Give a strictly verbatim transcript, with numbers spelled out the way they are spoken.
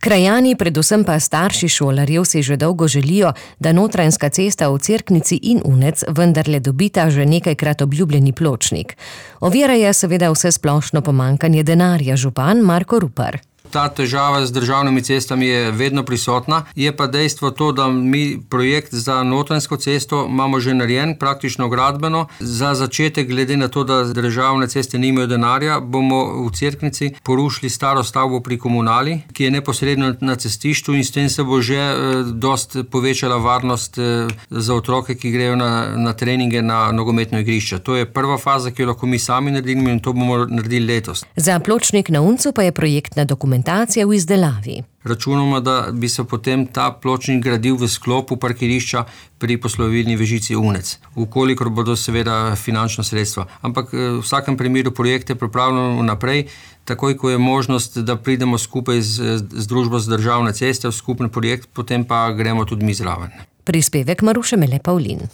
Krajani, predvsem pa starši šolarjev, si že dolgo želijo, da Notranjska cesta v Cerknici in Unec vendarle dobita že nekajkrat obljubljeni pločnik. Ovira je seveda vsesplošno pomanjkanje denarja, župan Marko Rupar. Ta težava z državnimi cestami je vedno prisotna, je pa dejstvo to, da mi projekt za Notranjsko cesto imamo že narejen, praktično gradbeno. Za začetek, glede na to, da državne ceste nimajo denarja, bomo v Cerknici porušili staro stavbo pri komunali, ki je neposredno na cestišču, in s tem se bo že eh, dost povečala varnost eh, za otroke, ki grejo na, na treninge na nogometno igrišče. To je prva faza, ki jo lahko mi sami naredimo, in to bomo naredili letos. Za pločnik na Uncu pa je projektna dokumentacija v izdelavi. Računamo, da bi se potem ta pločnik gradil v sklopu parkirišča pri poslovilni vežici Unec, ukolikor bodo seveda finančna sredstva. Ampak v vsakem primeru projekte pripravljamo naprej, takoj ko je možnost, da pridemo skupaj z, z družbo z državne ceste v skupni projekt, potem pa gremo tudi mi zraven. Prispevek Maruše Mele Pavlin.